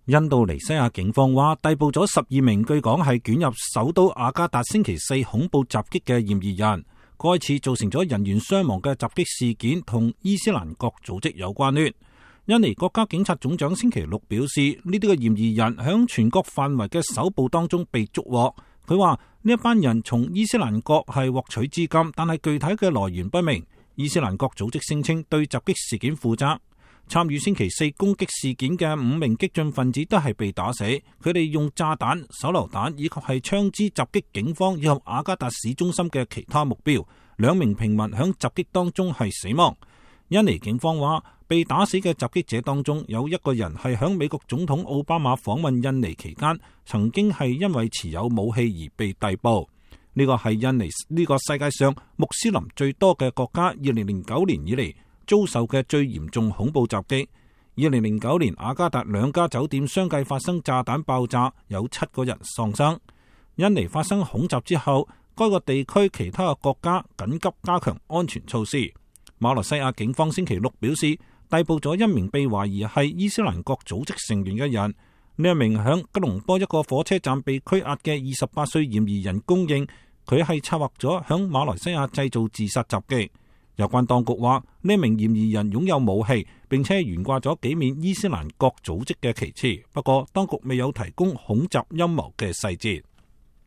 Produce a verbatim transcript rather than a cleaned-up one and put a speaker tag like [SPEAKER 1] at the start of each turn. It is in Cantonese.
[SPEAKER 1] 印度尼西亞警方話逮捕咗十二名據講係捲入首都雅加達星期四恐怖襲擊嘅嫌疑人。該次造成咗人員傷亡嘅襲擊事件同伊斯蘭國組織有關聯。印尼國家警察總長星期六表示，呢啲嘅嫌疑人響全國範圍嘅搜捕當中被捉獲。佢話呢一班人從伊斯蘭國係獲取資金，但係具體嘅來源不明。伊斯蘭國組織聲稱對襲擊事件負責。參與星期四攻擊事件嘅五名激進分子都係被打死，佢哋用炸彈、手榴彈以及係槍支襲擊警方以及雅加達市中心嘅其他目標。兩名平民響襲擊當中係死亡。印尼警方話，被打死嘅襲擊者當中有一個人係響美國總統奧巴馬訪問印尼期間，曾經係因為持有武器而被逮捕。呢個係印尼呢個世界上穆斯林最多嘅國家，二零零九年以嚟遭受嘅最嚴重恐怖襲擊。二零零九年雅加達兩家酒店相繼發生炸彈爆炸，有七個人喪生。印尼發生恐襲之後，該個地區其他嘅國家緊急加強安全措施。馬來西亞警方星期六表示，逮捕咗一名被懷疑係伊斯蘭國組織成員嘅人。呢一名響吉隆坡一個火車站被拘押嘅二十八歲嫌疑人供認，佢係策劃咗響馬來西亞製造自殺襲擊。有關當局話，呢名嫌疑人擁有武器，並且懸掛咗幾面伊斯蘭國組織嘅旗幟。不過，當局未有提供恐襲陰謀嘅細節。